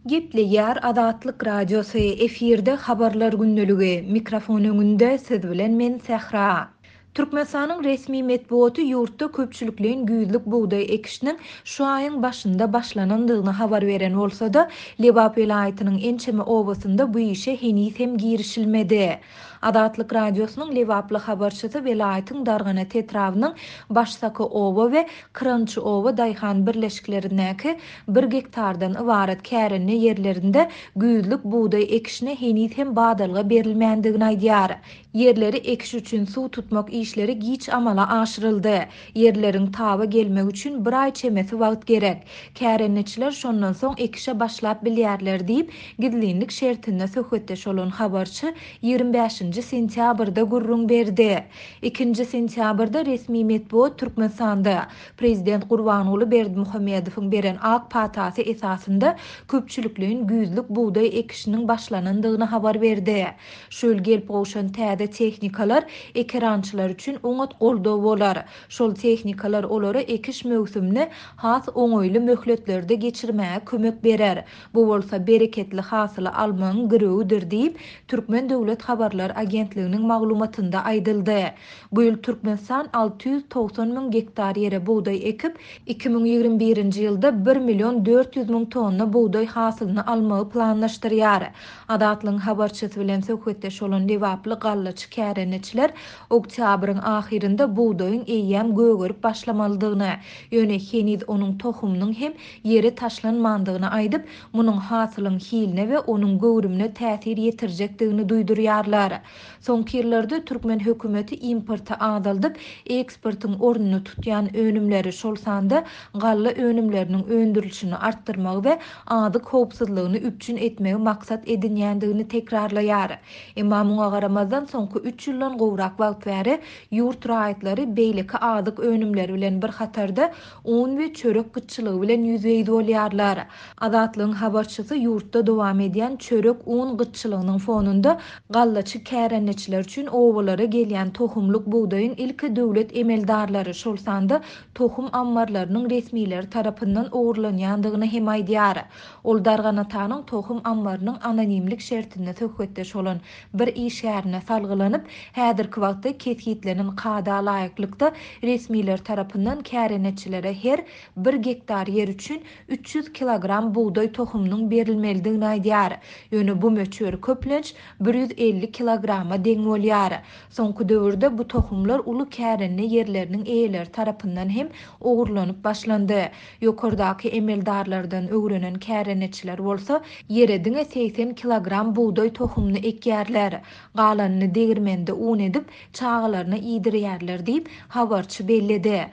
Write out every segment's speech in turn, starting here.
Gepleýär Azatlyk Radiosy, efirde Habarlar gündeligi, mikrofon öňünde siz bilen men Sähra. Türkmenistanyň resmi metbugaty ýurtda köpçülikleýin güýzlük bugdaý ekişiniň şu aýyň başynda başlanandygyny habar beren bolsa-da, Lebap welaýatynyň ençeme obasynda bu işe heniz hem girişilmedi. Azatlyk Radiosynyň lebaply habarçysy welaýatyň Darganat etrabynyň Başsaka oba we Kyrançy oba daýhan birleşiklerindäki bir gektardan ybarat kärende ýerlerinde güýzlük bugdaý ekişine heniz hem badalga berilmändigini aýdýar. Ýerleri ekiş üçin suw tutmak işleri giç amala aşyryldy. Ýerleriň taba gelmegi üçin bir aý çemesi wagt gerek. Kärendeçiler şondan soň ekişe başlap bilýärler diýip, gizlinlik şertinde söhbetdeş bolan habarçy 25-nji sentýabrda gürrüň berdi. Ikinji sentýabrda resmi metbugat Türkmenistanda prezident Gurbanguly Berdimuhamedowyň beren ak patasy esasynda köpçülikleýin güýzlük bugdaý ekişiniň başlanandygyny habar berdi. Şu ýyl gelip gowşan täze tehnikalar ekerançylar üçin oňat goldaw bolar. Şol tehnikalar olara ekiş möwsümini has oňaýly möhletlerde geçirmäge kömek berer. Bu bolsa bereketli hasyly almagyň girewidir diýip, Türkmen döwlet habarlar agentliginiň maglumatynda aýdyldy. Bu ýyl Türkmenistan 690 müň gektar ýere bugdaý ekip, 2021-nji ýylda bir million 400 müň tonna bugdaý hasylyny almagy planlaşdyrýar. Azatlygyň habarçysy bilen söhbetdeş bolan lebaply gallaçy kärendeçiler oktýabryň ahyrynda bugdaýyň eýýäm gögerip başlamalydygyny, ýöne heniz onuň tohumynyň hem ýere taşlanmandygyny aýdyp, munuň hasylyň hiline we onuň göwrümine täsir ýetirjekdigini duýdurýarlar. Soňky ýyllarda türkmen hökümeti importy azaldyp, eksportyň ornuny tutýan önümleri, şol sanda galla önümleriniň öndürilişini artdyrmagy we azyk howpsuzlygyny üpjün etmegi maksat edinýändigini tekrarlaýar. Emma muňa garamazdan, soňky üç ýyldan gowrak wagt bäri ýurt raýatlary beýleki azyk önümleri bilen bir hatarda un we çörek gytçylygy bilen ýüzbe-ýüz bolýarlar. Azatlygyň habarçysy ýurtda dowam edýän çörek-un gytçylygynyň fonunda gallaçy kärendeçiler üçin obalara gelýän tohumlyk bugdaýyň ilki döwlet emeldarlary, şol sanda tohum ammarlarynyň resmileri tarapyndan ogurlanýandygyny hem aýdýar. Ol Darganatanyň tohum ammarynyň anonimlik şertinde söhbetdeş bolan bir işgärine salgylanyp, häzirki wagtda kesgitlenen kada laýyklykda resmiler tarapyndan kärendeçilere her bir gektar ýer üçin 300 kilogram bugdaý tohumynyň berilmelidigini aýdýar. Ýöne bu möçber köplenç 150 kilograma deň bolýar. Soňky döwürde bu tohumlar uly kärende ýerleriniň eýeleri tarapyndan hem ogurlanyp başlandy. Ýokardaky emeldarlardan öwrenen kärendeçiler bolsa ýere diňe 80 kilogram bugdaý tohumyny ekýärler. Galanyny degirmende un edip, çagalaryna iýdirýärler diýip, habarçy belledi.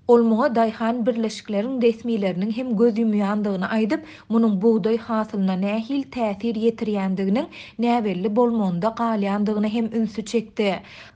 Ol muňa daýhan birleşikleriň resmileriniň hem göz ýumýandygyny aýdyp, munuň bugdaý hasylyna nähili täsir ýetirýändiginiň näbelli bolmagynda galýandygyna hem ünsi çekdi.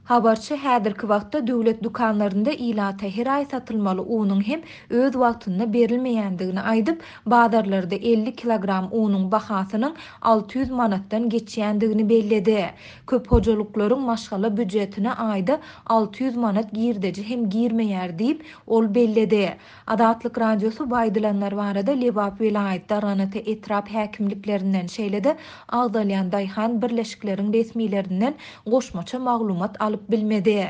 Habarçy häzirki wagtda döwlet dükanlarynda ilata her aý satylmaly unuň hem öz wagtynda berilmeýändigini aýdyp, bazarlarda 50 kilogram unuň bahasynyň 600 manatdan geçýändigini belledi. Köp hojalyklaryň maşgala býujetine aýda 600 manat girdeji hem girmeýär diýip, ol belledi. Azatlyk Radiosy bu aýdylanlar barada Lebap welaýat, Darganata etrap häkimliklerinden, şeýle-de agzalýan daýhan birleşikleriň resmilerinden goşmaça maglumat alyp bilmedi.